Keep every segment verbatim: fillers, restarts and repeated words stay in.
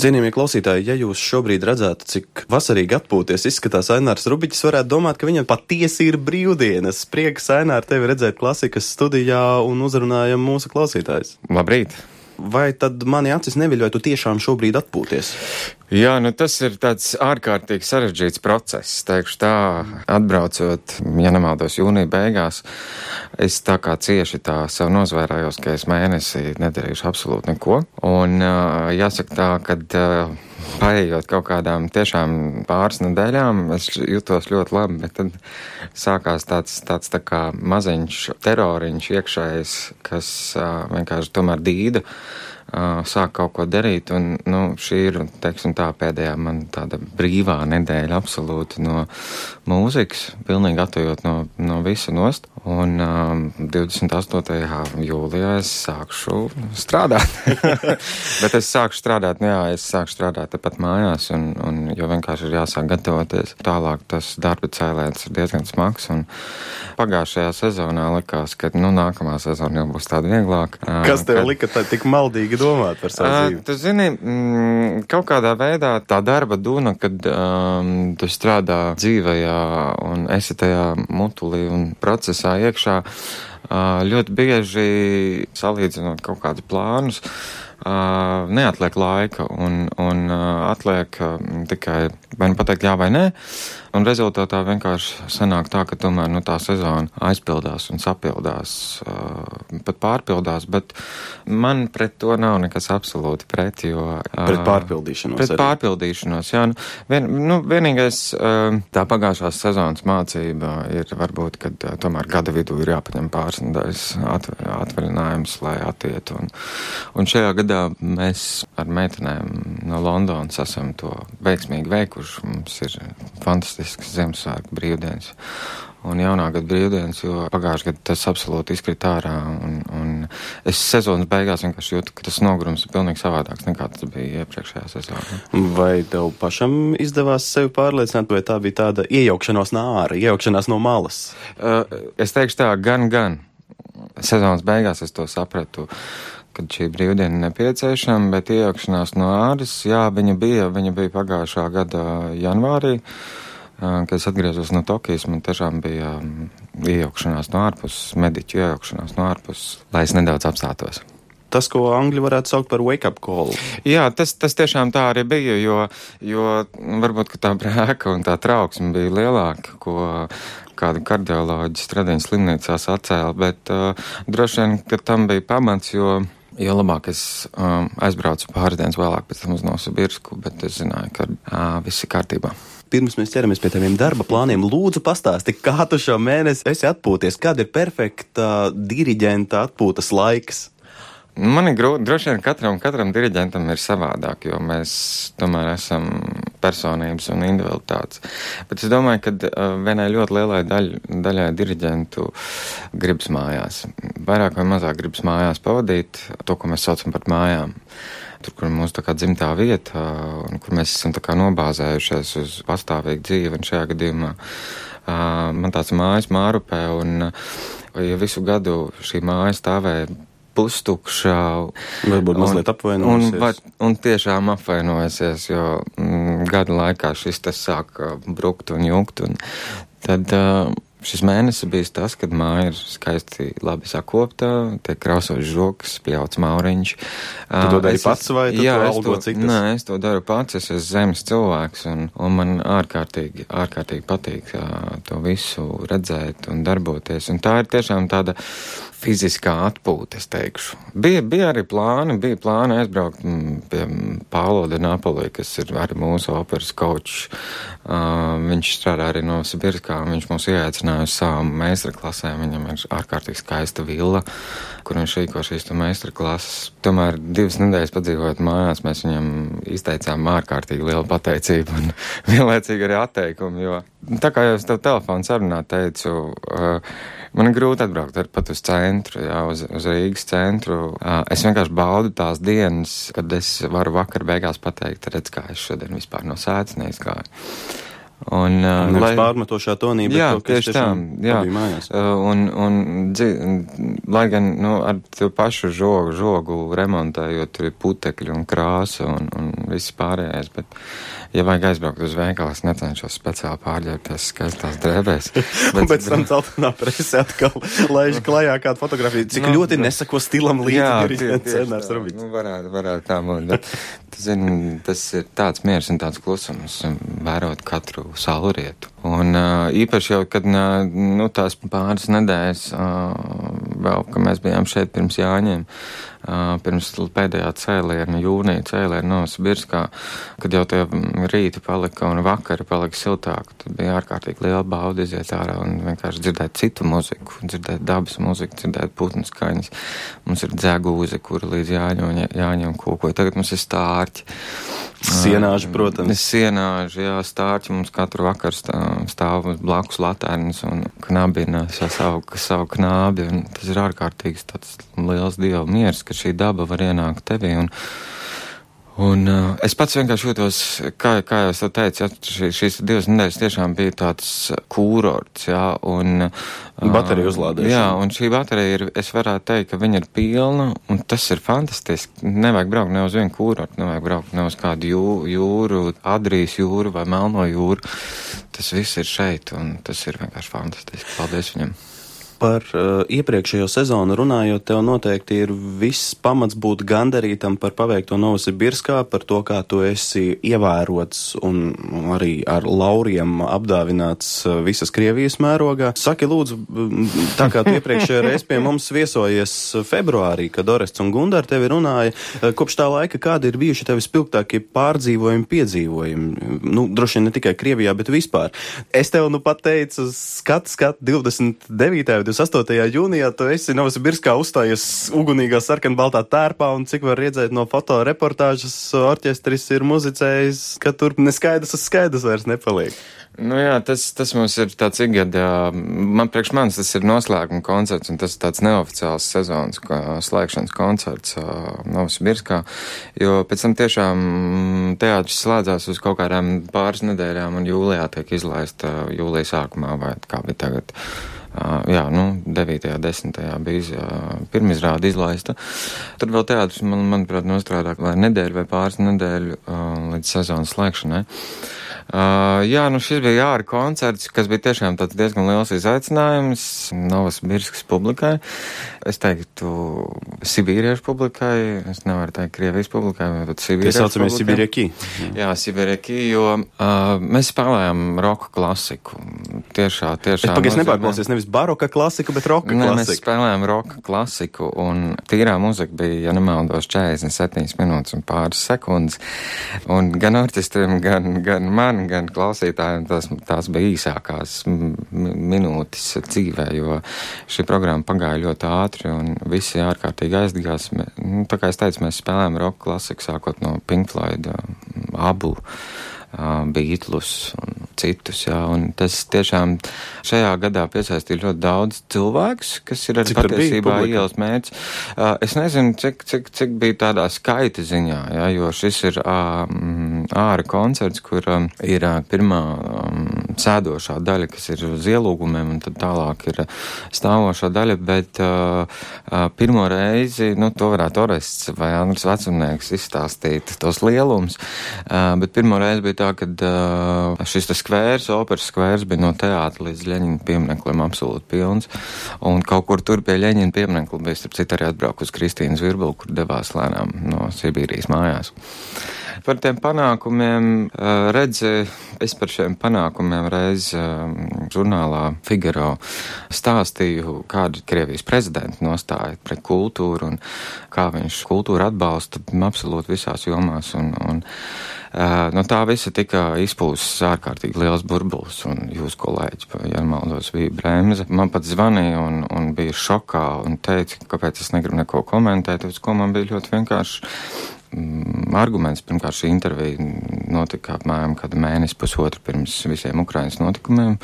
Cienījamie klausītāji, ja jūs šobrīd redzētu, cik vasarīgi atpūties izskatās Ainārs Rubiķis, varētu domāt, ka viņam patiesi ir brīvdienas. Prieks, Ainār, tevi redzēt klasikas studijā un uzrunājam mūsu klausītājus. Labrīt! Vai tad mani acis neviļoja, tu tiešām šobrīd atpūties? Jā, nu tas ir tāds ārkārtīgi sarežģīts process, teikšu tā, atbraucot, ja nemaldos, jūnija beigās, es tā kā cieši tā sev nozvērājos, ka es mēnesi nedarīšu absolūti neko, un jāsaka tā, kad paējot kaut kādām tiešām pāris nedēļām, es jutos ļoti labi, bet tad sākās tāds, tāds tā kā maziņš teroriņš iekšējs, kas vienkārši tomēr dīda, sāk kaut ko darīt, un, nu, šī ir, teiksim tā, pēdējā man tāda brīvā nedēļa absolūti no mūzikas, pilnīgi attojot no, no visa nost, un um, divdesmit astotajā jūlijā es sākšu strādāt. Bet es sākšu strādāt, nu jā, es sākšu strādāt tepat mājās, un, un jo vienkārši ir jāsāk gatavoties. Tālāk tas darba cēlēns ir diezgan smags, un pagājušajā sezonā likās, ka, nu, nākamā sezona jau būs tāda vieglāka. Kas tev kad... lika tā tik maldīgi domāt par savu dzīvi? Tu zini, mm, kaut kādā veidā tā darba duna, kad um, tu strādā dzīvajā un esi tajā mutulī un procesā iekšā, uh, ļoti bieži salīdzinot kaut kādus plānus, uh, neatliek laika un, un uh, atliek uh, tikai vai nu pateikt jā vai nē. Un rezultātā vienkārši sanāk tā, ka tomēr nu, tā sezona aizpildās un sapildās, uh, pat pārpildās, bet man pret to nav nekas absolūti pret, jo... Uh, pret pārpildīšanos Pret arī. pārpildīšanos, jā. Nu, vien, nu, vienīgais uh, tā pagājušās sezonas mācība ir varbūt, kad uh, tomēr gada vidū ir jāpaņem pāris nedēļas at, atvaļinājums, lai attiet. Un, un šajā gadā mēs ar meitenēm no Londonas esam to veiksmīgi veikuši. Mums ir fantastiski Ziemassvētku brīvdienas un jaunā gada brīvdienas, jo pagājušajā gadā tas absolūti izkrita ārā, un, un es sezonas beigās vienkārši jūtu, ka tas nogurums ir pilnīgi savādāks nekā tas bija iepriekšējā sezonā. Vai tev pašam izdevās sevi pārliecināt, vai tā bija tāda iejaukšanās no āra, iejaukšanās no malas? Uh, es teikšu tā, gan, gan. Sezonas beigās es to sapratu, kad šī brīvdiena nepieciešama, bet iejaukšanās no āras, jā, viņa bija, viņa bija pagājušā gada janvārī, kad es atgriezos no Tokijas, man tiešām bija iejaukšanās no ārpuses, mediķu iejaukšanās no ārpuses, lai es nedaudz apstātos. Tas, ko angļi varētu saukt par wake-up call. Jā, tas, tas tiešām tā arī bija, jo, jo varbūt, ka tā brēka un tā trauksme bija lielāka, ko kāda kardioloģija Stradiņas slimnīcā sacēla, bet uh, droši vien, ka tam bija pamats, jo Jo labāk es um, aizbraucu pāris dienas vēlāk pēc tam uz Novosibirsku, bet es zināju, ka uh, viss ir kārtībā. Pirms mēs ķeramies pie taviem darba plāniem, lūdzu pastāsti, kā tu šo mēnesi esi atpūties, kad ir perfekta diriģenta atpūtas laiks? Man ir grūti, droši vien katram, katram diriģentam ir savādāk, jo mēs tomēr esam personības un individualitātes. Bet es domāju, ka uh, vienai ļoti lielai daļ, daļai diriģentu gribas mājās. Vairāk vai mazāk gribas mājās pavadīt to, ko mēs saucam par mājām. Tur, kur ir mūsu tā kā dzimtā vieta, un kur mēs esam tā kā nobāzējušies uz pastāvīgu dzīvi, un šajā gadījumā uh, man tāds mājas Mārupē, un uh, ja visu gadu šī māja stāvēja pustukšā. Varbūt mazliet apvainojusies. Un, un tiešām apvainojusies, jo mm, gada laikā šis tas sāk brukt un jukt. Un tad uh, šis mēnesis bijis tas, kad māja ir skaisti labi sakopta, tiek krausots žoks, pļauts mauriņš. Tu to dari pats vai tu jā, to algo citas? Nē, es to daru pats, es esmu zemes cilvēks, un, un man ārkārtīgi, ārkārtīgi patīk uh, to visu redzēt un darboties. Un tā ir tiešām tāda fiziskā atpūta, es teikšu. Bija, bija arī plāni, bija plāni aizbraukt pie Paulo de Napoli, kas ir arī mūsu operas coach. Uh, viņš strādā arī Novosibirskā, viņš mūs ieaicināja uz savām meistarklasēm. Viņam ir ārkārtīgi skaista villa, kur viņš rīko šīs meistarklases. Tomēr divas nedēļas padzīvojot mājās, mēs viņam izteicām ārkārtīgi lielu pateicību un vienlaicīgi arī atteikumu, jo tā kā jau es tev telefonu sarunā teicu, uh, man ir grūti atbraukt ar pat uz centru, jā, uz, uz Rīgas centru. Uh, es vienkārši baudu tās dienas, kad es varu vakar beigās pateikt, redz, kā es šodien vispār no sēdes neizgāju. Un, uh, lai pārmetošā tonī, bet jā, to, ka es tiešām jā. pabiju mājās. Uh, un, un, dzi, lai gan, nu, ar to pašu žogu, žogu remontējot, tur ir putekļi un krāsa un, un viss pārējais, bet, ja vajag aizbraukt uz veikalu, es necenšos speciāli pārģērbties skaistās drēbēs. Bet, un pēc tam celtenā prese atkal laiž klajā kādu fotografiju. Cik nu, ļoti nesako stilam līdzi diriģents Ainārs Rubiķis. Nu, varētu, varētu tā būt, bet, tu zini, tas ir tāds miers un tāds klusums, vērot katru saulrietu. Un uh, īpaši jau, kad uh, nu, tās pāris nedēļas uh, vēl, ka mēs bijām šeit pirms Jāņiem, uh, pirms pēdējā cēliena, jūnija cēliena Novosibirskā, kad jau tie rīti palika un vakari palika siltāk, tad bija ārkārtīgi liela bauda iziet ārā un vienkārši dzirdēt citu muziku, dzirdēt dabas muziku, dzirdēt putnu skaņas. Mums ir dzegūze, kura līdz Jāņu, Jāņiem kūkoja. Tagad mums ir stārķi. Sienāži, protams. Sienāži, jā, stārķi mums katru vakaru stāv, stāv blakus latērnas un knabina savu, savu knābi, un tas ir ārkārtīgs tāds liels dievu miers, ka šī daba var ienākt tevī, un Un uh, es pats vienkārši jūtos, kā, kā jau es to teicu, ja, šī, šīs divas nedēļas tiešām bija tāds kūrorts, jā, un... Uh, baterija uzlādēšana. Jā, un šī baterija ir, es varētu teikt, ka viņa ir pilna, un tas ir fantastiski. Nevajag braukt ne uz vienu kūrortu, nevajag braukt ne uz kādu jū, jūru, Adrijas jūru vai Melno jūru. Tas viss ir šeit, un tas ir vienkārši fantastiski. Paldies viņam. Par uh, iepriekšējo sezonu runājot, tev noteikti ir viss pamats būt gandarītam par paveikto Novosibirskā, par to, kā tu esi ievērots un arī ar lauriem apdāvināts visas Krievijas mērogā. Saki, lūdzu, tā kā tu iepriekšējā reiz pie mums viesojies februārī, kad Orests un Gundar tevi runāja, kopš tā laika kādi ir bijuši tevi spilgtākie pārdzīvojumi, piedzīvojumi? Nu, droši vien ne tikai Krievijā, bet vispār. Es tev nu pat teicu, skat, skat, divdesmit devītajā divdesmit astotajā jūnijā tu esi Novosibirskā uzstājies ugunīgā sarkanbaltā tērpā, un cik var redzēt no fotoreportāžas, orķestris ir muzicējis, ka tur neskaidrs uz skaidrs vairs nepaliek. Nu jā, tas, tas mums ir tāds ikgadā, man priekš manis tas ir noslēguma koncerts, un tas ir tāds neoficiāls sezonas slēgšanas koncerts uh, Novosibirskā, jo pēc tam tiešām teātris slēdzās uz kaut kādām pāris nedēļām, un jūlijā tiek izlaista uh, jūlija sākumā, vai kā bija tagad. Uh, jā, nu, devītajā, desmitajā bija uh, pirmizrāde izlaista. Tur vēl teātris, man, manuprāt, nostrādā vai nedēļu vai pāris nedēļu uh, līdz sezonas slēgšanai. Uh, jā, nu šis bija jāra koncerts, kas bija tiešām tāds diezgan liels izaicinājums Novosibirskas publikai. Es teiktu sibīriešu publikai, es nevaru teikt Krievijas publikai, bet sibīriešu publikai. Saucamies Sibirieki. Jā, Sibirieki, jo uh, mēs spēlējām roka klasiku. Tiešā, tiešā. Es pagaidzi nepārklausies nevis baroka klasiku, bet roka klasiku. Ne, mēs spēlējām roka klasiku, un tīrā muzika bija, ja nemaldos, četrdesmit septiņas minūtes un pāris sekundes. Un gan orķestrim, gan, gan man, gan klausītājiem tās, tās bija īsākās minūtes dzīvē, jo šī programma pagāja ļoti ātri un visi ārkārtīgi aizdegās. Nu, tā kā es teicu, mēs spēlējām roka klasiku sākot no Pink Floyd, Abu, Beatlus un citus, jā, un tas tiešām šajā gadā piesaistīja ļoti daudz cilvēkus, kas ir arī patiesībā ielas mērķis. Uh, es nezinu, cik, cik, cik bija tādā skaita ziņā, jā, jo šis ir um, āra koncerts, kur um, ir uh, pirmā um, sēdošā daļa, kas ir uz ielūgumiem, un tad tālāk ir stāvošā daļa, bet uh, uh, pirmo reizi, nu, to varētu Orests vai Andris Vecumnieks izstāstīt tos lielums, uh, bet pirmo reizi bija tā, kad uh, šis tas skvērs, operas skvērs bija no teātra līdz Ļeņina piemineklim absolūti pilns, un kaut kur tur pie Ļeņina pieminekli bija, starp citu, arī atbraukus Kristīna Zvirbula, kur devās lēnām no Sibīrijas mājās. Par tiem panākumiem, uh, redzi, es par šiem panākumiem reiz uh, žurnālā Figaro stāstīju, kāda Krievijas prezidenta nostāja pret kultūru un kā viņš kultūru atbalsta absolūti visās jomās, un, un Uh, no tā visa tika izpūsts ārkārtīgi liels burbulis, un jūs kolēģi, ja maldos, bija Bremze. Man pat zvanīja un, un bija šokā un teica, kāpēc es negribu neko komentēt, uz ko man bija ļoti vienkārši mm, arguments. Pirmkārt, šī intervija notika apmēram kādu mēnesi pusotru pirms visiem Ukrainas notikumiem,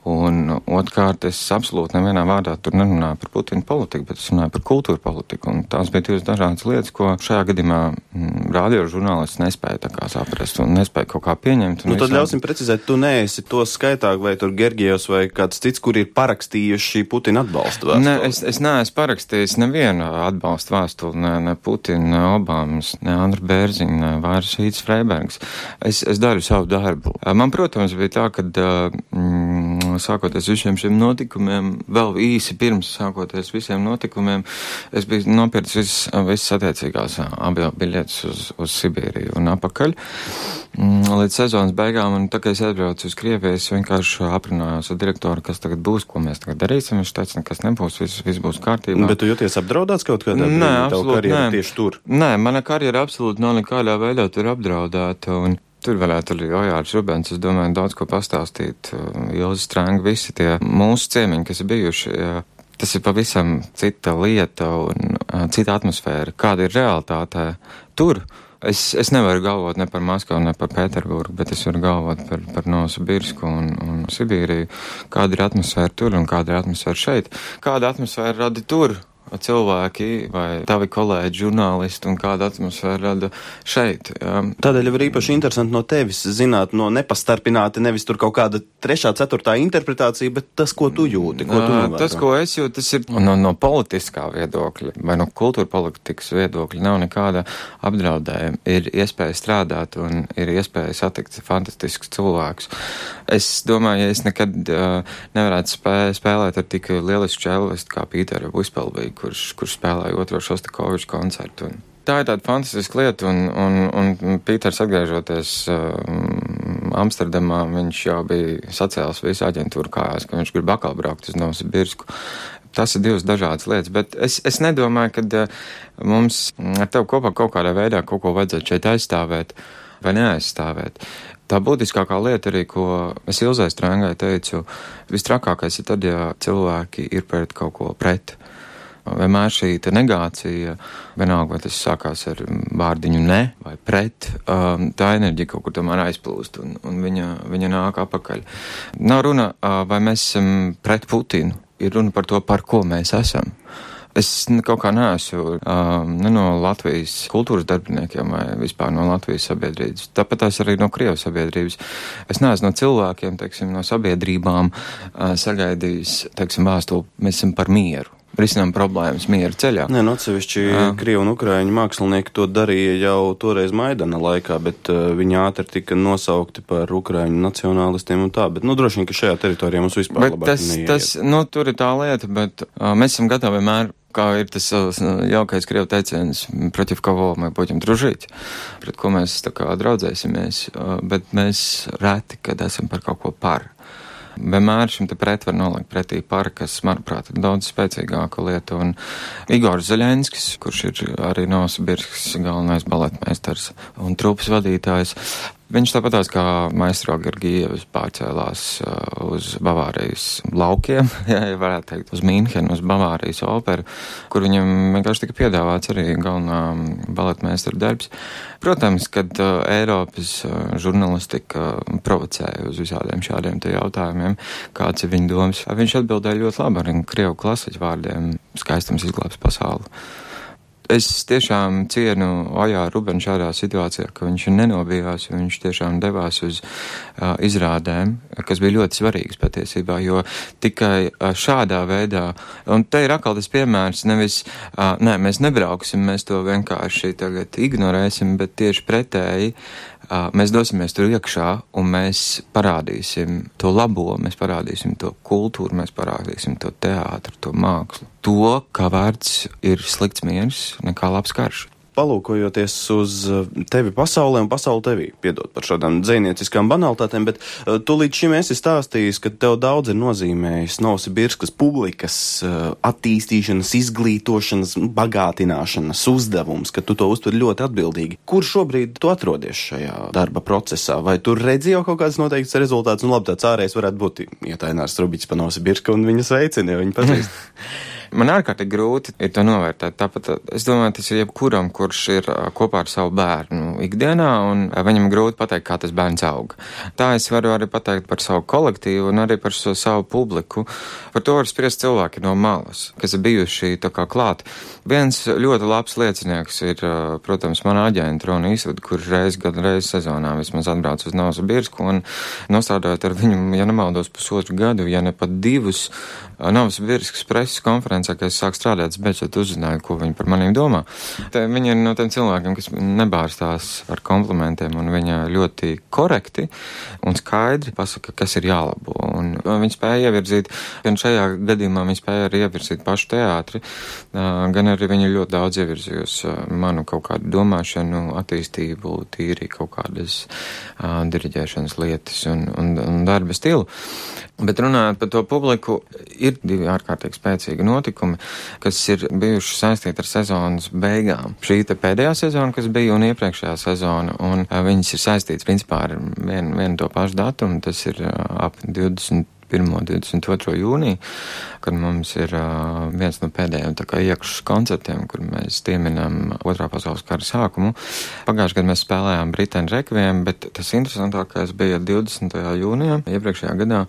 Un otrkārt, es absolūti nevienā vārdā tur nerunāju par Putina politiku, bet es runāju par kultūra politiku. Un tās bija divas dažādas lietas, ko šajā gadījumā mm, radio žurnālists nespēja tā kā saprast un nespēja kaut kā pieņemt. Nu, tad ļausim precizēt, tu neesi to skaitā, vai tur Gergievs vai kāds cits, kur ir parakstījuši Putina atbalstu vēstuli? Ne, es, es neesmu parakstījis nevienu atbalstu vēstuli, ne, ne Putina, ne Obamas, ne Andra Bērziņa, ne vairs Hīts Freibergs. Es, es daru savu darbu. Man, protams, bija tā, ka mm, sākoties visiem šiem notikumiem, vēl īsi pirms sākoties visiem notikumiem, es biju nopircis visas, visas attiecīgās avio biļetes uz, uz Sibīriju un apakaļ. Līdz sezonas beigām, un tā kā es atbraucu uz Krieviju, es vienkārši aprunājos ar direktoru, kas tagad būs, ko mēs tagad darīsim. Viņš teica, nekas nebūs, viss, viss būs kārtībā. Bet tu jūties apdraudāts kaut kādā brīdī? Nē, absolūti, nē. Tieši tur? Nē, mana karjera absolūti nav nekādā veidā tur apdraudēta, un tur varētu arī Ojārs Rubens, es domāju, daudz ko pastāstīt. Ilzi Strēnga, visi tie mūsu ciemiņi, kas ir bijuši, tas ir pavisam cita lieta un cita atmosfēra. Kāda ir realitāte tur? Es, es nevaru galvot ne par Maskavu, ne par Pēterburgu, bet es varu galvot par, par Novosibirsku un, un Sibīriju. Kāda ir atmosfēra tur un kāda ir atmosfēra šeit? Kāda atmosfēra rada tur? Cilvēki vai tavi kolēģi, žurnālisti un kāda atmosfēra rada šeit. Jā. Tādēļ ir īpaši interesanti no tevis zināt, no nepastarpināti, nevis tur kaut kāda trešā, ceturtā interpretācija, bet tas, ko tu jūti, ko tu novēro. Tas, ko es jūtu, tas ir no, no politiskā viedokļa vai no kultūra politikas viedokļa nav nekāda apdraudējuma. Ir iespēja strādāt un ir iespēja satikt fantastiskus cilvēkus. Es domāju, ja es nekad uh, nevarētu spē, spēlēt ar tik lielisku čellistu kā Pīteru Vuspelbiju, kurš, kurš spēlēja otro Šostakoviču koncertu. Un tā ir tāda fantastiska lieta, un, un, un Pīters atgriežoties um, Amsterdamā, viņš jau bija sacēlis visu aģentūru kājās, ka viņš grib atkal braukt uz Novosibirsku. Tas ir divas dažādas lietas, bet es, es nedomāju, ka uh, mums ar tevi kopā kaut kādā veidā kaut ko vajadzētu šeit aizstāvēt vai neaizstāvēt. Tā būtiskākā lieta arī, ko es Ilzai Strēngai teicu, vistrakākais ir tad, ja cilvēki ir pret kaut ko pret. Vienmēr šī te negācija, vienalga, vai tas sākās ar vārdiņu ne vai pret, um, tā enerģija kaut kur tomēr aizplūst un, un viņa, viņa nāk apakaļ. Nav runa, uh, vai mēs esam pret Putinu, ir runa par to, par ko mēs esam. Es kaut kā neesmu um, ne no Latvijas kultūras darbiniekiem vai vispār no Latvijas sabiedrības. Tāpat tās arī no Krievijas sabiedrības. Es neesmu no cilvēkiem, teiksim, no sabiedrībām uh, sagaidījis, teiksim, vēstuli, mēs esam par mieru. Risinām problēmas miera ceļā. Nē, no atsevišķi Krievu un Ukraiņu mākslinieki to darīja jau toreiz Maidana laikā, bet uh, viņi ātri tika nosaukti par Ukraiņu nacionālistiem un tā, bet, nu, droši vien, ka šajā teritorijā mums vispār bet labāk tas, neiet. Tas, nu, tur ir tā lieta, bet uh, mēs esam gatavi vienmēr, kā ir tas uh, jaukais Krievu teiciens, protiv kovo мы будем дружить, pret ko mēs tā kā draudzēsimies, uh, bet mēs reti, kad esam par kaut ko par. Vienmēr šim te pret var nolikt pretī par, kas, manuprāt, ir daudz spēcīgāka lieta. Un Igors Zaļenskis, kurš ir arī Novosibirskas galvenais baletmeistars un trupas vadītājs, viņš tāpatās kā maestro Gergievs pārcēlās uh, uz Bavārijas laukiem, ja varētu teikt, uz Mīnhenu, uz Bavārijas operu, kur viņam vienkārši tika piedāvāts arī galvenā baletmeistara darbs. Protams, kad uh, Eiropas uh, žurnalistika provocēja uz visādiem šādiem te jautājumiem, kāds ir viņa domas, viņš atbildēja ļoti labi ar krievu klasiķu vārdiem skaistums izglābs pasauli. Es tiešām cienu Ojāru Rubenu šādā situācijā, ka viņš nenobijās, viņš tiešām devās uz uh, izrādēm, kas bija ļoti svarīgas patiesībā, jo tikai uh, šādā veidā, un te ir atkal tas piemērs, nevis, uh, nē, mēs nebrauksim, mēs to vienkārši tagad ignorēsim, bet tieši pretēji, uh, mēs dosimies tur iekšā un mēs parādīsim to labo, mēs parādīsim to kultūru, mēs parādīsim to teātru, to mākslu. To, kā vērts ir slikts miers, nekā labs karš. Palūkojoties uz tevi pasaulē un pasauli tevī, piedod par šādām dzejnieciskām banalitātēm, bet uh, tu līdz šim esi stāstījis, ka tev daudz ir nozīmējis Novosibirskas publikas uh, attīstīšanas, izglītošanas, bagātināšanas uzdevums, ka tu to uztver ļoti atbildīgi. Kur šobrīd tu atrodies šajā darba procesā? Vai tu redzi jau kaut kāds noteikts rezultāts? Un labi, tāds ārējais varētu būt, ja Ainārs Rubiķis pa Novosibirsku un viņa sveicina, jo viņa pazīst. Man ārkārtīgi grūti ir to novērtēt. Tāpat es domāju, tas ir jebkuram, kurš ir kopā ar savu bērnu ikdienā, un viņam grūti pateikt, kā tas bērns aug. Tā es varu arī pateikt par savu kolektīvu un arī par so savu publiku. Par to var spriest cilvēki no malas, kas ir bijuši tā kā klāt. Viens ļoti labs liecinieks ir, protams, mana aģenta Rona Īsvada, kurš reiz gadu reiz sezonā vismaz atbrauc uz Novosibirsku un nostādājot ar viņu, ja nemaldos, pusotru gadu, ja ne pat divus Novosibirskas preses konferencē, kad es sāku strādāt, es beidzot uzzināju, ko viņi par maniem domā. Te viņi ir no tiem cilvēkiem, kas nebārstās ar komplimentiem, un viņa ļoti korekti un skaidri pasaka, kas ir jālabo. Un viņi spēja ievirzīt, gan šajā gadījumā viņi spēja arī ievirzīt pašu teātri, gan arī viņi ļoti daudz ievirzījusi manu kaut kādu domāšanu, attīstību, tīri kaut kādas uh, diriģēšanas lietas un, un, un darba stilu. Bet runājot par to publiku, ir divi ārkārtīgi spēcīgi notikumi, kas ir bijuši saistīti ar sezonas beigām. Šī te pēdējā sezona, kas bija, un iepriekšējā sezona, un uh, viņas ir saistītas principā ar vienu, vienu to pašu datumu, tas ir uh, ap divdesmit pirmo un divdesmit otro jūniju, kad mums ir uh, viens no pēdējiem tā kā iekšas koncertiem, kur mēs pieminam otrā pasaules kara sākumu. Pagājušajā gadā mēs spēlējām Brītēnu rekviem, bet tas interesantākais bija divdesmitajā jūnijā. Iepriekšējā gadā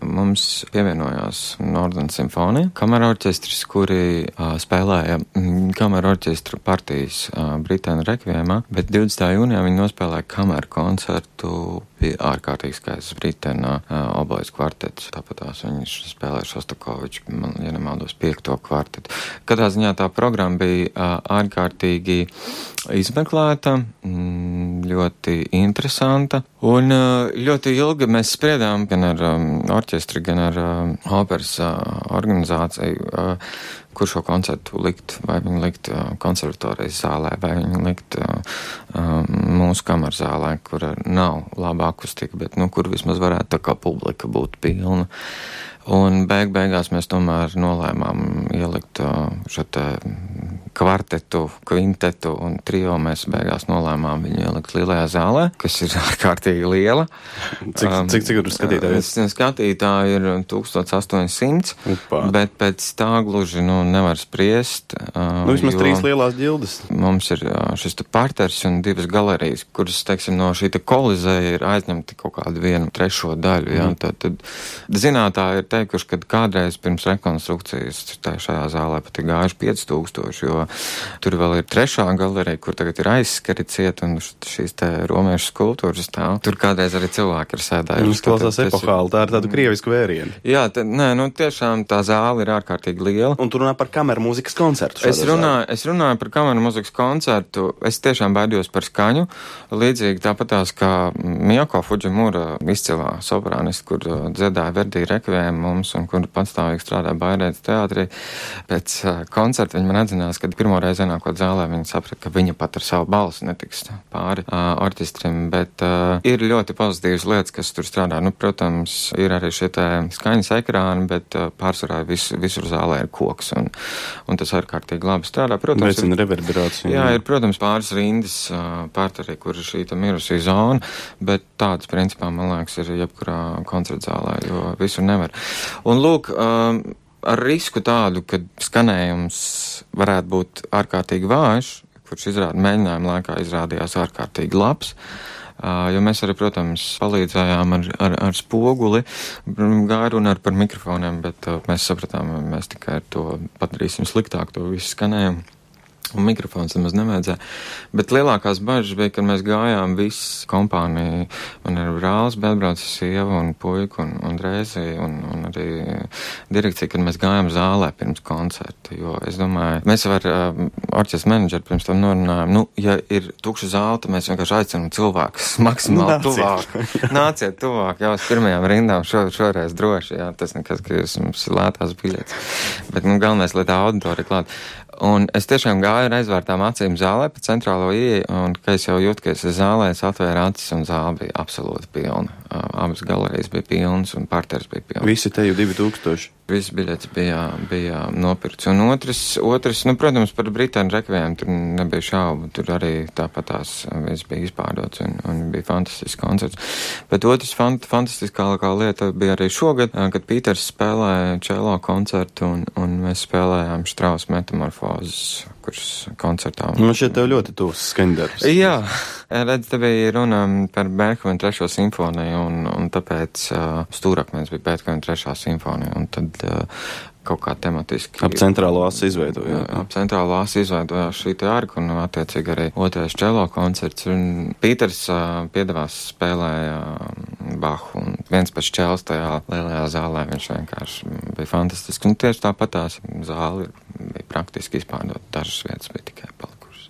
mums pievienojās Northern Simfonija, kamera orķestris, kuri uh, spēlēja mm, kamera orķestra partijas uh, Brītēnu rekviemā, bet divdesmitajā jūnijā viņi nospēlēja kameru koncertu, bija ārkārtīgi skaists Brītēnā uh, obojas kvartets. Tāpat tās viņš spēlēja Šostakoviču, man, ja nemaldos, piekto kvartetu. Katrā ziņā tā programma bija uh, ārkārtīgi izmeklēta, mm, ļoti interesanta, un uh, ļoti ilgi mēs spriedām gan ar um, orķestri, gan ar um, operas uh, organizāciju, uh, kur šo koncertu likt, vai viņu likt uh, konservatorijas zālē, vai viņu likt uh, uh, mūsu kamerzālē, kur nav laba akustika, bet, nu, kur vismaz varētu tā kā publika būt pilna. Un beig beigās mēs tomēr nolēmām ielikt uh, šo te kvartetu, kvintetu un trio. Mēs beigās nolēmām viņu ielikt lielajā zālē, kas ir ārkārtīgi liela. Cik, um, cik, cik tur skatītāji? Skatītāji ir tūkstoš astoņsimt, Upa. Bet pēc tā gluži, nu, nevar spriest. Uh, nu, vismaz trīs lielās ģildes. Mums ir uh, šis te parters un divas galerijas, kuras, teiksim, no šī te kolizēja ir aizņemti kaut kādu vienu trešo daļu, jā. Mm. Tad, tad zinātāji ir teikuši, ka kādreiz pirms rekonstrukcijas šajā zālē pat ir gājuši pieci tūkstoši, jo tur vēl ir trešā galerija, kur tagad ir aizskari ciet un šīs te romiešu skulptūras stāv. Tur kādreiz arī cilvēki ir sēdājuši. Jūs klausās epohāli, tā ir tādu krievisku vērienu. Jā, tā, nē, nu tiešām tā zāle ir ārkārtīgi liela. Un tu runā par kameru mūzikas koncertu. Es runāju, es runāju par kameru mūzikas koncertu. Es tiešām baidījos par skaņu. Līdzīgi tāpatās kā Miyako Fujimura, izcilā soprānists, kur dziedāja Verdi rekviem mums un kur patstāvīgi strādāja Bairētas teātrī. Pēc uh, koncerta viņa man atzinās, ka pirmo reizi ienākot zālē viņa saprata, ka viņa pat ar savu balsi netiks pāri uh, orķestrim, bet uh, ir ļoti pozitīvas lietas, kas tur strādā. Nu, protams, ir arī šie te skaņas ekrāni, bet uh, pārsvarā vis, visur zālē ir koks un, un tas ārkārtīgi labi strādā. Protams, veicina reverberāciju. Jā, ir, protams, pāris rindas uh, pārtarī, kur ir šī ta mirusī zona, bet tāds principā, man liekas, ir jebkurā koncertzālē, jo visur nevar. Un lūk, um, ar risku tādu, ka skanējums varētu būt ārkārtīgi vājš, kurš izrāda mēģinājuma laikā izrādījās ārkārtīgi labs, uh, jo mēs arī, protams, palīdzējām ar, ar, ar spoguli, gāja runāt par mikrofoniem, bet uh, mēs sapratām, mēs tikai ar to padarīsim sliktāk to visu skanējumu. Un mikrofons nemaz nevajadzēja. Bet lielākās bažas bija, kad mēs gājām viss kompānija, man ir brālis, bet atbrauca sieva un puika un, un Rēzi un, un arī direkcija, kad mēs gājām zālē pirms koncerta. Jo es domāju, mēs jau ar uh, orķestra menedžeri pirms tam norunājām, nu, ja ir tukša zāle, tad mēs vienkārši aicinām cilvēkus maksimāli nu, tuvāk. Nāciet tuvāk, jau uz pirmajām rindām šo, šoreiz droši, jā, tas nekas, ka jūs mums ir lētās biļetes. Bet, nu, galvenais, lai tā auditorija klāt. Un es tiešām gāju ar aizvērtām acīm zālē pa centrālo ieeju, un, ka es jau jūtu, ka es zālē, es atvēru acis, un zāle bija absolūti pilna. Abas galerijas bija pilnas, un parters bija pilns. Visi te jau divi tūkstoši. Viss biļets bija, bija nopirkts. Un otrs, otrs, nu, protams, par Britāņu rekvijiem tur nebija šaubu. Tur arī tāpat tās viss bija izpārdots un, un bija fantastisks koncerts. Bet otrs fant, fantastiskākā lieta bija arī šogad, kad Pīters spēlēja čelo koncertu un, un mēs spēlējām Štrausa metamorfozes, kurš koncertā. Man šeit tev ļoti tūs skaņdarbs. Jā, redz, te bija runa par Beethovena trešo simfoniju un, un tāpēc uh, stūrakmens bija Beethovena trešā simfonija un tad uh, kaut kā tematiski. Ap centrālo asi izveidojās. Ap centrālo asi izveidojās šī te arka un attiecīgi arī otrais čelo koncerts. Un Pīters uh, piedevās spēlēja Bahu un viens pēc čels tajā lielajā zālē viņš vienkārši bija fantastisks. Un tieši tāpat tās zāli bija praktiski izpārdot. Dažas vietas bija tikai palikušas.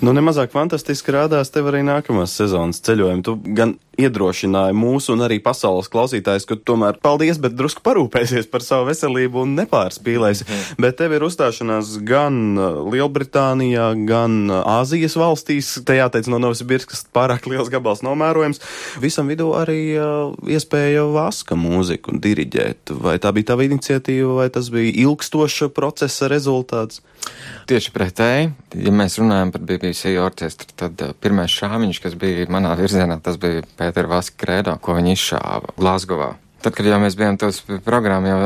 Nu, nemazāk fantastiski rādās tev arī nākamās sezonas ceļojumi. Tu gan iedrošināji mūsu un arī pasaules klausītājus, ka tomēr paldies, bet drusku parūpēsies par savu veselību un nepārspīlēsi. Mm. Bet tev ir uzstāšanās gan Lielbritānijā, gan Āzijas valstīs. Te jāteic no Novosibirskas pārāk liels gabals nomērojams. Visam vidū arī uh, iespēja vaska mūziku diriģēt. Vai tā bija tava iniciatīva, vai tas bija ilgstoša procesa rezultāts? Tieši pretēji, ja mēs runājam par B B C orķestru, tad uh, pirmais šāviņš, kas bija manā virzienā, tas bija Pētera Vaska Kredo, ko viņi izšāva Glazgovā. Tad, kad jau mēs bijām tos programmu jau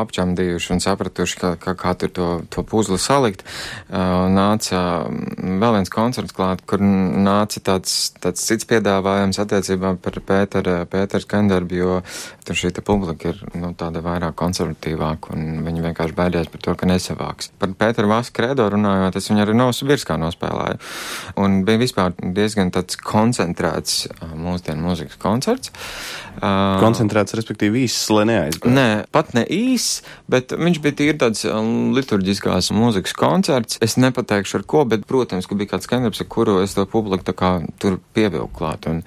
apčamdījuši un sapratuši, kā, kā, kā tur to, to puzli salikt, uh, nāca vēl viens koncerts klāt, kur nāca tāds, tāds cits piedāvājums attiecībā par Pētera, Pētera skandarbu, jo tur šī te publika ir, nu, tāda vairāk konservatīvāka un viņi vienkārši baidījās par to, ka nesavāks. Par Pētera Vaska Kredo runājot, es viņu arī Novosibirskā nospēlēju. Un bija vispār diezgan tāds koncentrēts uh, mūsdienu mūzikas koncerts. Uh, koncentrēts respektīvi īss, lai neaizgāja. Nē, pat ne īss, bet viņš bija tīri tāds liturģiskās mūzikas koncerts. Es nepateikšu ar ko, bet, protams, ka bija kāds skandarbs, ar kuru es to publiku tā kā tur pievilku klāt. Un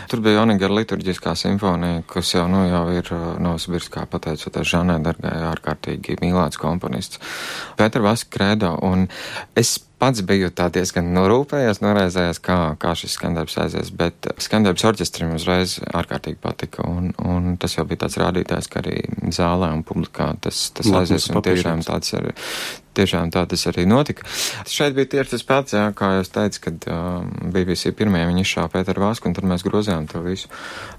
tur bija Onegara liturģiskā simfonija, kas jau, nu, jau ir Novosibirskā pateicoties Žanai Dargai, ārkārtīgi mīlēts komponists. Pētera Vaska Kredo, un es pats biju tā diezgan norūpējies, noraizējies, kā, kā šis skandarbs aizies, bet skandarbs orķestrim uzreiz ārkārtīgi patika, un, un tas jau bija tāds rādītājs, ka arī zālē un publikā tas, tas aizies, un tiešām tāds ir. Tiešām tā tas arī notika. Šeit bija tieši tas pats, jā, kā jūs teicu, kad uh, B B C pirmajā viņi izšāva Pēteru Vasku, un tad mēs grozījām to visu.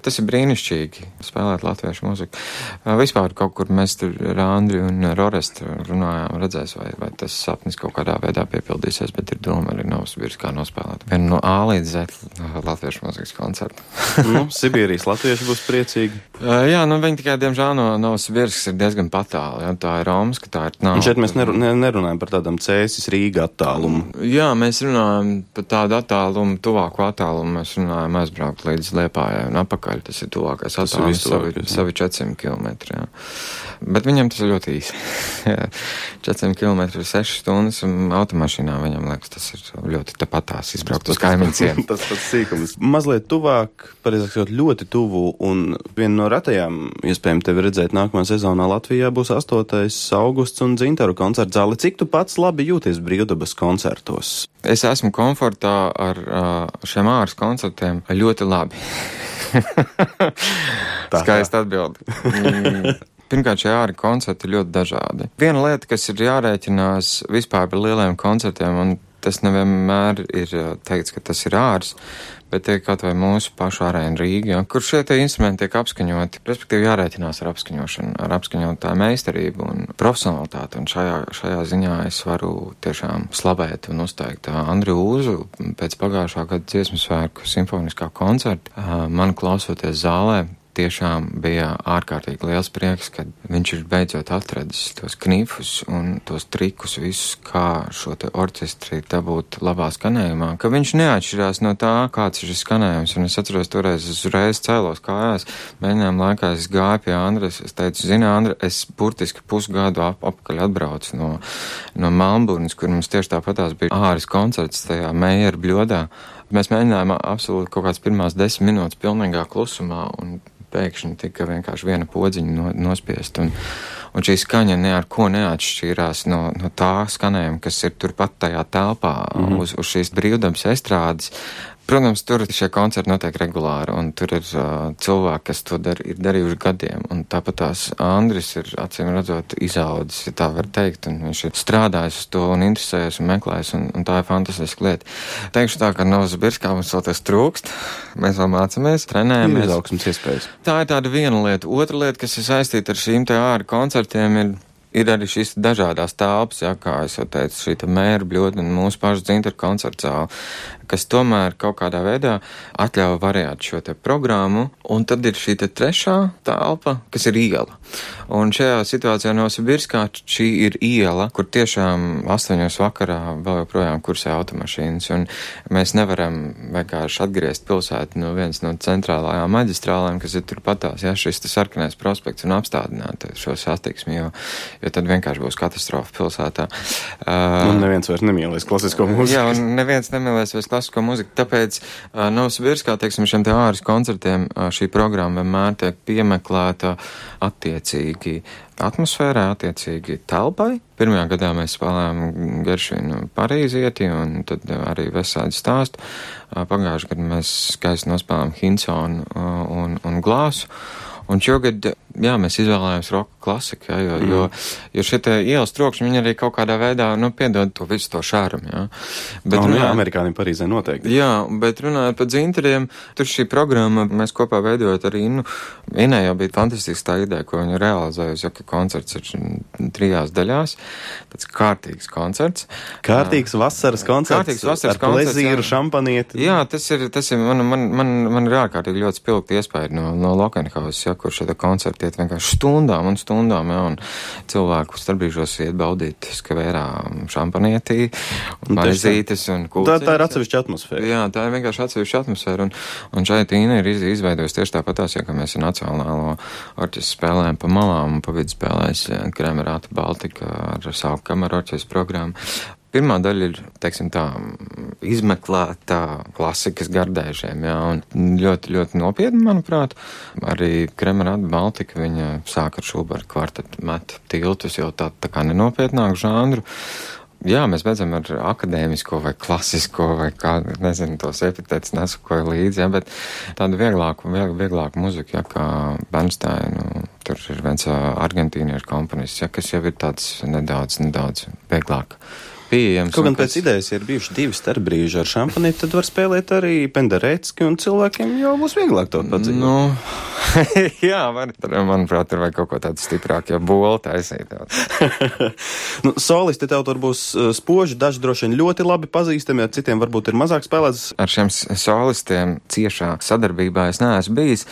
Tas ir brīnišķīgi, spēlēt latviešu mūziku. Uh, vispār kaut kur mēs tur ar Andri un Rorestu runājām, redzēs, vai, vai tas sapnis kaut kādā veidā piepildīsies, bet ir doma arī Novosibirskā nospēlēt. Vienu no A līdz Z latviešu mūzikas koncertu. Nu, Sibīrijas latvieši būs priecīgi. Uh, jā, nu viņi tikai, diemžēl, no Novosibirskas ir diezgan patāli, jā, tā ir Romska, tā ir nav. Un šeit mēs neru, ne, nerunājam par tādam Cēsis Rīga attālumu. Jā, mēs runājam par tādu attālumu, tuvāku attālumu, mēs runājam aizbraukt līdz Liepājai un apakaļ, tas ir tuvākais attālums, savi, savi četrsimt kilometri, jā. Bet viņam tas ir ļoti īsi. četrsimt kilometri ir sešas stundas, un automašīnā viņam liekas, tas ir ļoti tapatās izbraukt uz kaimiņciem. Tas pats sīkums. Mazliet tuvāk, pareizāk ļoti tuvu, un viena no ratajām iespējami tevi redzēt nākamā sezonā Latvijā būs astotais augusts un Dzintaru koncerta zāle. Cik tu pats labi jūties brīvdabas koncertos? Es esmu komfortā ar šiem āras koncertiem ļoti labi. Skaisti atbildi. Pirmkārt, šie āri koncerti ir ļoti dažādi. Viena lieta, kas ir jārēķinās vispār par lieliem koncertiem, un tas nevienmēr ir teikts, ka tas ir ārs, bet tie kaut vai mūsu pašu arēna Rīga, ja, kur šie tie instrumenti tiek apskaņoti, respektīvi jārēķinās ar apskaņošanu, ar apskaņotāju meistarību un profesionalitāti, un šajā, šajā ziņā es varu tiešām slavēt un uzteikt Andriu Uzu pēc pagājušā gada dziesmu svētku simfoniskā koncerta. Man klausoties zālē, tiešām bija ārkārtīgi liels prieks, kad viņš ir beidzot atradis tos knifus un tos trikus visus, kā šo te orķestri dabūt labā skanējumā, ka viņš neatšķirās no tā, kāds ir šis skanējums. Un es atceros, toreiz es uzreiz cēlos kājās, mēģinājām laikā es gāju pie Andres, es teicu, zini, Andre, es burtiski pusgadu ap, apkaļ atbraucu no, no Melnburnas, kur mums tieši tāpatās bija āris koncerts tajā Meijera bļodā. Mēs mēģinājām absolūti kaut kāds pirmās desmit minūtes pilnīgā klusumā, un pēkšņi tika vienkārši viena podziņa no, nospiest, un, un šī skaņa ne ar ko neatšķīrās no, no tā skanējuma, kas ir turpat tajā telpā, mm-hmm. uz, uz šīs brīvdabas estrādes. Protams, tur šie koncerti notiek regulāri, un tur ir uh, cilvēki, kas to dar, ir darījuši gadiem, un tāpat tās Andris ir, acīm redzot, izaudzis, ja tā var teikt, un viņš ir strādājis uz to un interesējies un meklējis, un, un tā ir fantastiska lieta. Teikšu tā, ka Novosibirskā mums vēl tas trūkst, mēs vēl mācamies, trenējamies. Ir izaugsmas iespējas. Tā ir tāda viena lieta. Otra lieta, kas ir saistīta ar šīm te āra koncertiem, ir Ir arī šīs dažādās telpas, jā, kā es jau teicu, šī te mēra bļodne un mūsu pašu dzintaru koncerta zāle, kas tomēr kaut kādā veidā atļauj variēt šo te programmu, un tad ir šī te trešā telpa, kas ir iela. Un šajā situācijā Novosibirskā šī ir iela, kur tiešām astoņos vakarā vēl joprojām kursē automašīnas, un mēs nevaram vienkārši atgriezt pilsētu no viens no centrālajām maģistrālēm, kas ir turpatās, jā, šis te sarkanais prospekts un apstādināt šo satiksmi, jo jo tad vienkārši būs katastrofa pilsētā. Uh, un neviens vairs nemīlēs klasisko mūziku. Jā, un neviens nemīlēs vairs klasisko mūziku, tāpēc uh, Novosibirskā, teiksim, šiem te āras koncertiem uh, šī programma vienmēr tiek piemeklēta attiecīgi atmosfērā, attiecīgi telpai. Pirmajā gadā mēs spēlējām Geršvinu Parīzieti un tad arī Vesādi stāstu. Uh, pagājušajā gadā mēs skaisti nospēlējām Hinsonu uh, un, un Glāsu. Un šogad, jā, mēs izvēlējāmies roka klasiku, jā, jo, mm. jo, jo šie te ielas trokšņi, viņi arī kaut kādā veidā, nu, piedod to visu to šārumu, jā. Bet no, runājot, jā, amerikāņiem Parīzē noteikti. Jā, bet runājot par dzintariem, tur šī programma, mēs kopā veidojot arī, nu, Inē jau bija fantastisks tā ideja, ko viņa realizējusi, jo, ka koncerts ir trijās daļās, tāds kārtīgs koncerts. Kārtīgs vasaras koncerts, kārtīgs vasaras ar koncerts, plezīru, jā. Šampanieti. Jā, tas ir, tas ir, man, man, man, man ir ārkārtīgi ļoti spilgti iespēja no, no Lokenhausas, jā, kur šie koncerti iet vienkārši stundām un stundām, jā, un cilvēku starpbrīžos iet baudīt skavērā šampanietī, maizītes un kulcītes. Tā, tā ir atsevišķa atmosfēra. Jā, tā ir vienkārši atsevišķa atmosfēra, un, un šeit Ina ir izveidojusi tieši tāpatās, ja, ka mēs ar Nacionālo orķestru spēlējam pa malām, un pa vidu spēlēs Kremerāta Baltika ar savu kameru orķestru programmu. Pirmā daļa ir, teiksim tā, izmeklēta klasikas gardēžiem, jā, un ļoti, ļoti nopietni, manuprāt. Arī Kremerāta Baltika, viņa sāk ar Šuberta kvartetu, met tiltus jau tā, tā kā nenopietnāku žanru. Jā, mēs beidzam ar akadēmisko vai klasisko vai kā, nezinu, tos epitētus nesakoju līdzi, jā, bet tādu vieglāku, viegl, vieglāku muziku, jā, kā Bernsteinu, tur ir viens argentīniešu komponists, jā, kas jau ir tāds nedaudz, nedaudz vieglāk pieejams. Kaut gan pēc kas... idejas, ja ir bijuši divi starpbrīži ar šampanīti, tad var spēlēt arī Penderecki, un cilvēkiem jau būs vieglāk to padziļināt. Nu, jā, var, manuprāt, tur vajag kaut ko tādu stiprāk, ja bolu taisīt. Nu, solisti tev tur būs spoži, daži droši vien ļoti labi pazīstami, ja citiem varbūt ir mazāk spēlēts. Ar šiem solistiem ciešā sadarbībā es neesmu bijis.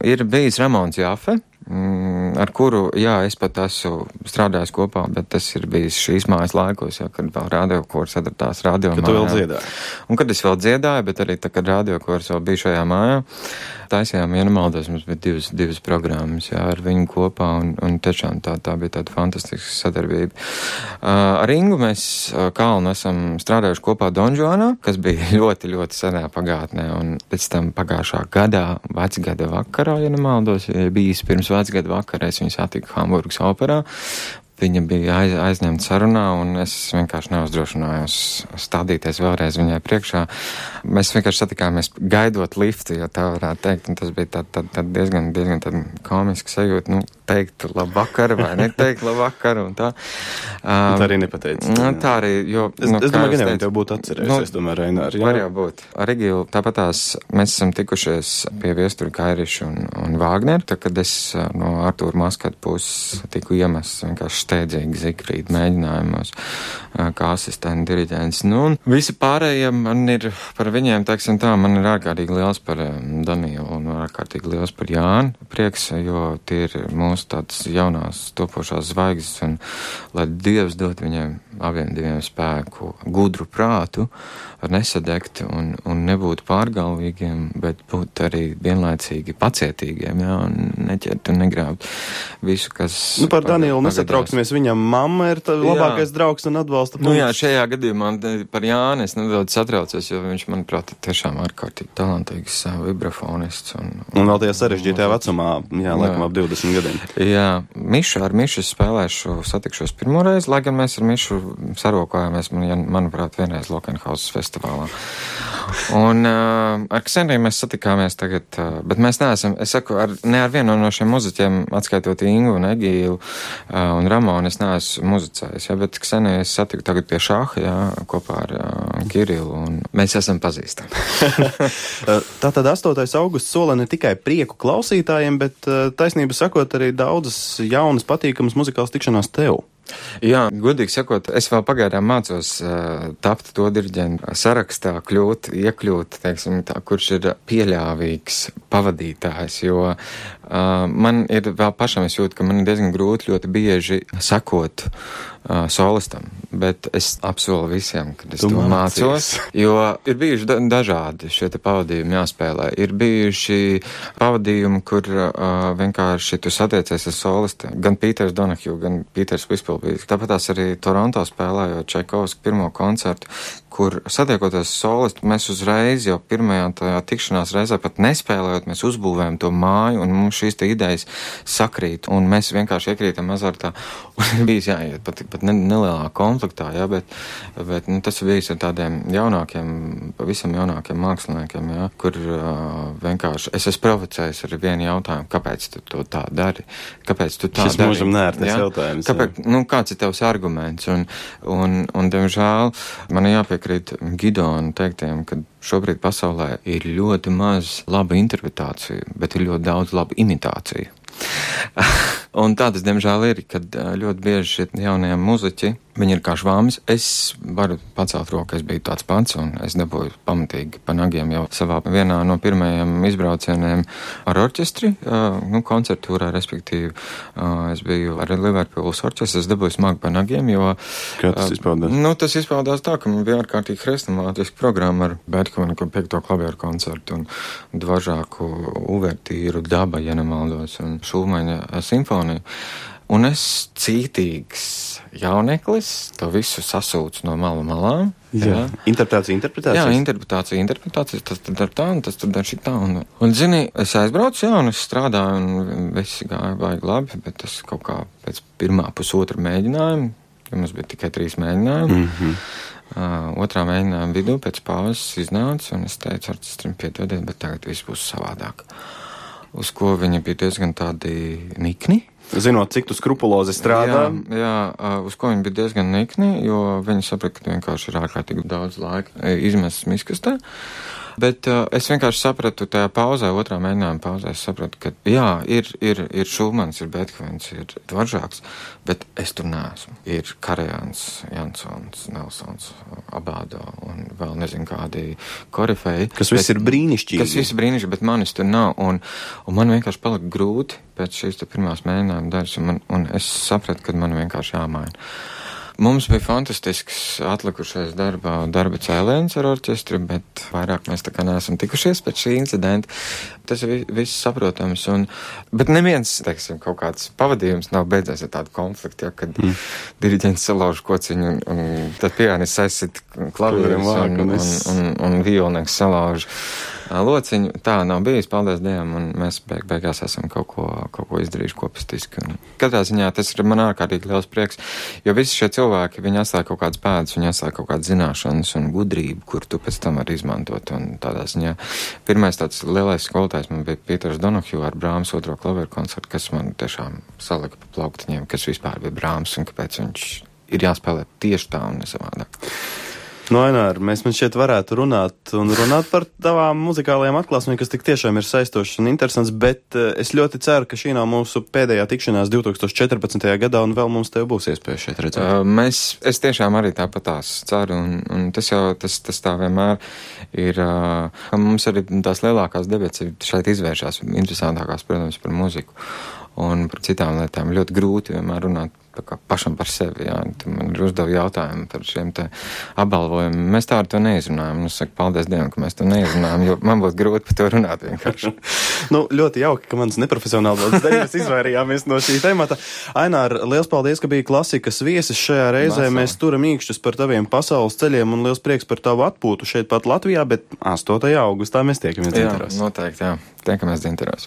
Ir bijis Ramons Jāfe, ar kuru, jā, es pat esmu strādājis kopā, bet tas ir bijis šīs mājas laikos, jā, kad vēl radiokors atradās radio mājā. Kad tu vēl dziedāji. Un kad es vēl dziedāju, bet arī tā, kad radiokors vēl bija šajā mājā, taisījām, ja nemaldos, mums bija divas, divas programmas, jā, ar viņu kopā, un, un tiešām tā, tā bija tāda fantastiska sadarbība. Uh, ar Ingu mēs uh, Kalnu esam strādājuši kopā Donžuanā, kas bija ļoti, ļoti senā pagātnē, un pēc tam pagājušā gadā, vecgada vakarā, ja nemaldos, ja bijis pirms vecgada vakarā, es viņu satiku Hamburgas operā. Viņa bija aiz, aizņemta sarunā, un es vienkārši neuzdrošinājos stādīties vēlreiz viņai priekšā. Mēs vienkārši satikāmies gaidot liftu, ja tā varētu teikt, un tas bija tā, tā, tā diezgan, diezgan tā komiska sajūta, nu, teikt labvakar vai neteikt labvakar, un tā. Um, tā arī nepateica. Nu, tā arī, jo... Es, nu, es domāju, ka teicu, tev būtu atcerējusies, nu, tomēr, Reināri. Var jau būt. Ar Egilu tāpatās mēs esam tikušies pie Viestura Kairiša un, un Vāgneru, tad, kad es no Artūra Maskata puses tiku iemests vienkārši steidzīgi Zikrīt mēģinājumos kā asistenta diriģents. Nu, un visi pārējie man ir par viņiem, teiksim tā, man ir ārkārtīgi liels par Danielu un ārkārtīgi liels par Jānu prieks, jo tie ir mūsu tādas jaunās topošās zvaigznes, un lai Dievs dot viņiem abiem diviem spēku, gudru prātu, ar nesadegt un, un nebūt pārgalvīgiem, bet būt arī vienlaicīgi pacietīgiem, jā, un neķert un negrābt visu, kas... Nu, par Danielu nesatrauksimies, viņam mamma ir labākais draugs un atbalsta punkts. Nu jā, šajā gadījumā par Jāni es nedaudz satraucos, jo viņš, manuprāt, ir tiešām ārkārtīgi talantīgs vibrafonists. Un, un, un vēl tajā sarežģītajā vecumā, jā, laikam ap divdesmit gadiem. Jā, Mišu ar Mišu spēlēšu, satikšos pirmoreiz, lai gan mēs ar Mišu sarokājāmies, man, manuprāt, vienreiz Lokenhausas festivālā. Un uh, ar Kseniju mēs satikāmies tagad, uh, bet mēs neesam, es saku, ar, ne ar vienu no šiem muziķiem, atskaitot Ingu un Egīlu uh, un Ramonu, es neesmu muzicējis, ja, bet Kseniju es satiku tagad pie šāha, ja, kopā ar uh, Kirilu, un mēs esam pazīstami. Tātad astotais augusts sola ne tikai prieku klausītājiem, bet taisnība sakot arī daudzas jaunas patīkamas muzikālas tikšanās tev. Jā, godīgi sakot, es vēl pagaidām mācos uh, tapt to diriģentu sarakstā, kļūt, iekļūt, teiksim tā, kurš ir pieļāvīgs pavadītājs, jo uh, man ir vēl pašam, es jūtu, ka man ir diezgan grūti ļoti bieži sekot uh, solistam, bet es apsolu visiem, kad es tu to mācīs. Mācos, jo ir bijuši da dažādi šie te pavadījumi jāspēlē. Ir bijuši pavadījumi, kur uh, vienkārši tu satiecies ar solistiem, gan Pīters Donahju, gan Pīters Vispilbīs. Tāpat tās arī Toronto spēlējot Čaikovska pirmo koncertu, kur satiekoties solistu, mēs uzreiz jau pirmajā tajā tikšanās reizē pat nespēlējot, mēs uzbūvējam to māju un mums šīs te idejas sakrīt un mēs vienkārši iekrītam azartā un bijis jāiet pat, pat ne, nelielā konfliktā, jā, bet, bet nu, tas ir bijis ar tādiem jaunākiem, pavisam jaunākiem māksliniekiem, jā, kur uh, vienkārši es esmu provocējis ar vienu jautājumu, kāpēc tu to tā dari, kāpēc tu tā Šis dari. Šis mūžam nērtais jautājums. Kāpēc, nu, kāds ir tavs arguments? Un, un, un diemžēl, man jāpiekrīt Gidona teiktiem, ka šobrīd pasaulē ir ļoti maz laba interpretācija, bet ir ļoti daudz laba imitācija. Un tā tas, diemžēl, ir, kad ļoti bieži šie jaunie muziķi, viņi ir kā švāmis. Es varu pacelt roku, es biju tāds pats, un es dabūju pamatīgi pa nagiem jau savā vienā no pirmajiem izbraucieniem ar orķestri, uh, nu, koncertūrā, respektīvi. Uh, es biju ar Liverpools orķestri, es dabūju smagi pa nagiem, jo... Kā tas izpaudās? Uh, nu, tas izpaudās tā, ka man bija ārkārtīgi hrestomātiska programma ar Beethovenu piekto klavieru koncertu un dvažāku uvertīru Daba, ja nemaldos, un Šulmaņa simfoniju. Un es cītīgs jauneklis, to visu sasūcu no malu malām. Jā. Jā. Interpretācija, interpretācija. Jā, interpretācija, interpretācija, tas tad dar tā, un tas tad dar šitā. Un, un zini, es aizbraucu, jā, un es strādāju, un viss gāja baigi labi, bet tas kaut kā pēc pirmā pusotra mēģinājuma, jo mums bija tikai trīs mēģinājumi, mm-hmm. uh, otrā mēģinājuma vidū pēc pauzes iznāca, un es teicu orķestrim piedodiet, bet tagad viss būs savādāk. Uz ko viņi bija diezgan tādi nikni. Zinot, cik tu skrupulozi strādā. Jā, jā, uz ko viņi bija diezgan nikni, jo viņi saprata, ka vienkārši ir ārkārtīgi daudz laika izmests miskastē. Bet uh, es vienkārši sapratu tajā pauzē, otrā mēģinājuma pauzē, es sapratu, ka jā, ir, ir, ir Šulmans, ir Beethovens, ir Dvoržāks, bet es tur neesmu. Ir Karajans, Jansons, Nelsons, Abādo un vēl nezinu kādi korifeji. Kas viss ir brīnišķīgi. Kas viss ir brīnišķīgi, bet manis tur nav. Un, un man vienkārši palika grūti pēc šīs te pirmās mēģinājuma daļas, un, man, un es sapratu, ka man vienkārši jāmaina. Mums bija fantastisks atlikušais darbā, darba cēliens ar orķestri, bet vairāk mēs tā kā neesam tikušies pēc šī incidenta. Tas ir viss saprotams, un, bet neviens, teiksim, kaut kāds pavadījums nav beidzies ar tādu konfliktu, ja, kad mm. diriģents salauž kociņu, un, un tad pianists aizsit klavierus, un, un, un, un, un violnieks salauž lociņu. Tā nav bijis, paldies Dievam, un mēs beig beigās esam kaut ko, kaut ko izdarījuši kopistiski. Un katrā ziņā tas ir man ārkārtīgi liels prieks, jo visi šie cilvēki, viņi atstāja kaut kādas pēdas, viņi atstāja kaut kādas zināšanas un gudrību, kur tu pēc tam vari izmantot. Un tādā ziņā pirmais tāds lielais skolotājs man bija Pīters Donahju ar Brāmas otro klavieru koncertu, kas man tiešām salika pa plauktiņiem, kas vispār bija Brāmas un kāpēc viņš ir jāspēlē tieši tā un nesavādāk. No, Ainār, mēs man šķiet varētu runāt un runāt par tavām muzikālajām atklāsmēm, kas tik tiešām ir saistošas un interesants, bet es ļoti ceru, ka šī nav mūsu pēdējā tikšanās divtūkstoš četrpadsmitajā gadā un vēl mums tev būs iespēja šeit redzēt. Uh, mēs, es tiešām arī tāpatās ceru, un, un tas jau, tas, tas tā vienmēr ir, uh, mums arī tās lielākās debats šeit izvēršās, interesantākās, protams, par muziku un par citām lietām. Ļoti grūti vienmēr runāt tā kā pašam par sevi, jā. Tu man ir uzdevi jautājumu par šiem te apbalvojumiem. Mēs tā ar to neizrunājam. Es saku, paldies Dievam, ka mēs to neizrunājam, jo man būtu grūti par to runāt vienkārši. Nu, ļoti jauki, ka manas neprofesionālās dēļ izvairījāmies no šī temata. Ainār, liels paldies, ka biji klasikas viesis šajā reizē. Vasā. Mēs turam īkšķus par taviem pasaules ceļiem un liels prieks par tavu atpūtu šeit pat Latvijā, bet astotajā augustā mēs tiekamies Dzinteros. Jā, noteikti, jā. Tiekamies Dzinteros.